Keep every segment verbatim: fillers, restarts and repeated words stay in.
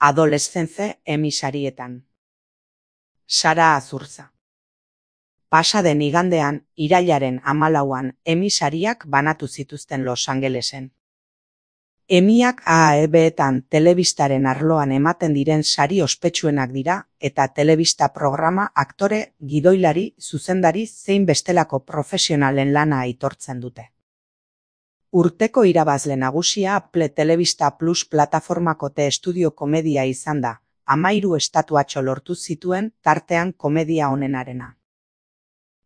Adolescence Emmy sarietan. Sara Azurza. Pasa den igandean, irailaren hamalauan Emmy sariak banatu zituzten Los Angelesen. Emmyak A E B-etan telebistaren arloan ematen diren sari ospetsuenak dira eta telebista programa aktore, gidoilari, zuzendari zein bestelako profesionalen lana aitortzen dute. Urteko irabazle nagusia Apple Telebista Plus plataformako T-Studio komedia izan da, hamahiru estatuatxo lortu zituen tartean komedia onenarena.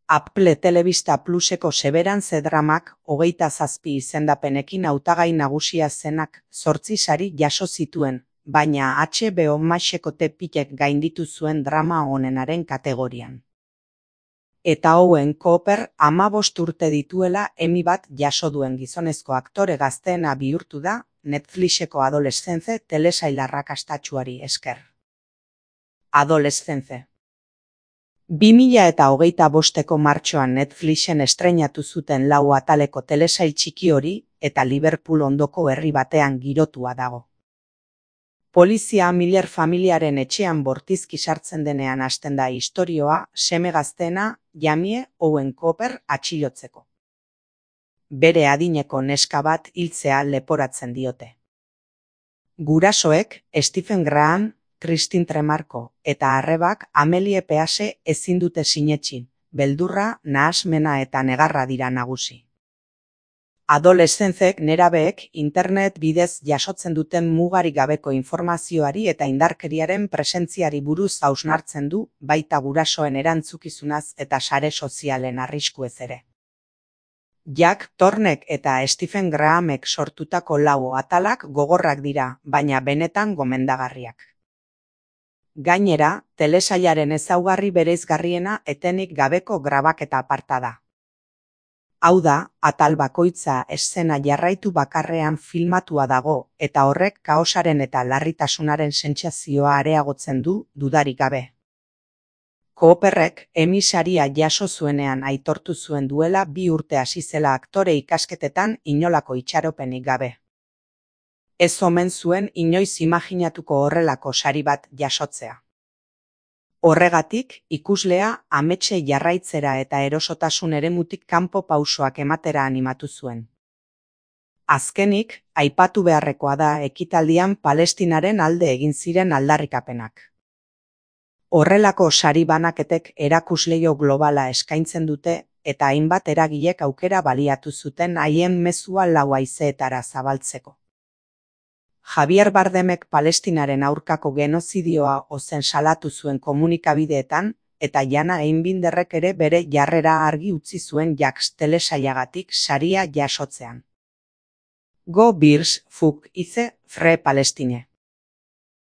Apple Telebista Pluseko Severance dramak hogeita zazpi izendapenekin hautagai nagusia zenak zortzi sari jaso zituen, baina H B O Maxeko T-Pikek gainditu zuen drama onenaren kategorian. Eta Owen Cooper hamabost urte dituela Emmy bat jaso duen gizonezko aktore gazteena bihurtu da Netflixeko Adolescence telesail arrakastatsuari esker. Adolescence. bi mila eta hogeita bosteko martxoan Netflixen estreinatu zuten lau ataleko telesail txiki hori eta Liverpool ondoko herri batean girotua dago. Polizia Miller familiaren etxean bortizki sartzen denean hasten da istorioa seme gazteena Jamie Owen Cooper atxilotzeko. Bere adineko neska bat hiltzea leporatzen diote. Gurasoek Stephen Graham, Christine Tremarco eta arrebak Amelie Pease ezin dute sinetsi, beldurra, nahasmena eta negarra dira nagusi. Adolescenzek nerabeek internet bidez jasotzen duten mugarik gabeko informazioari eta indarkeriaren presentziari buruz hausnartzen du, baita gurasoen erantzukizunaz eta sare sozialen arriskuez ere. Jack Thornek eta Stephen Grahamek sortutako lau atalak gogorrak dira, baina benetan gomendagarriak. Gainera, telesailaren ezaugarri bereizgarriena etenik gabeko grabaketa aparta da. Hau da, atal bakoitza eszena jarraitu bakarrean filmatua dago eta horrek kaosaren eta larritasunaren sentsazioa areagotzen du dudarik gabe. Cooperrek Emmy saria jaso zuenean aitortu zuen duela bi urte hasi zela aktore ikasketetan inolako itxaropenik gabe. Ez omen zuen inoiz imaginatuko horrelako sari bat jasotzea. Horregatik, ikuslea ametsei jarraitzera eta erosotasun eremutik kanpo pausoak ematera animatu zuen. Azkenik, aipatu beharrekoa da ekitaldian Palestinaren alde egin ziren aldarrikapenak. Horrelako sari banaketek erakusleio globala eskaintzen dute eta hainbat eragilek aukera baliatu zuten haien mezua lau haizeetara zabaltzeko. Javier Bardemek Palestinaren aurkako genozidioa ozen salatu zuen komunikabideetan eta Jana Einbinderrek ere bere jarrera argi utzi zuen Jacks telesailagatik saria jasotzean. Go Bears, fuck ize, Free Palestine.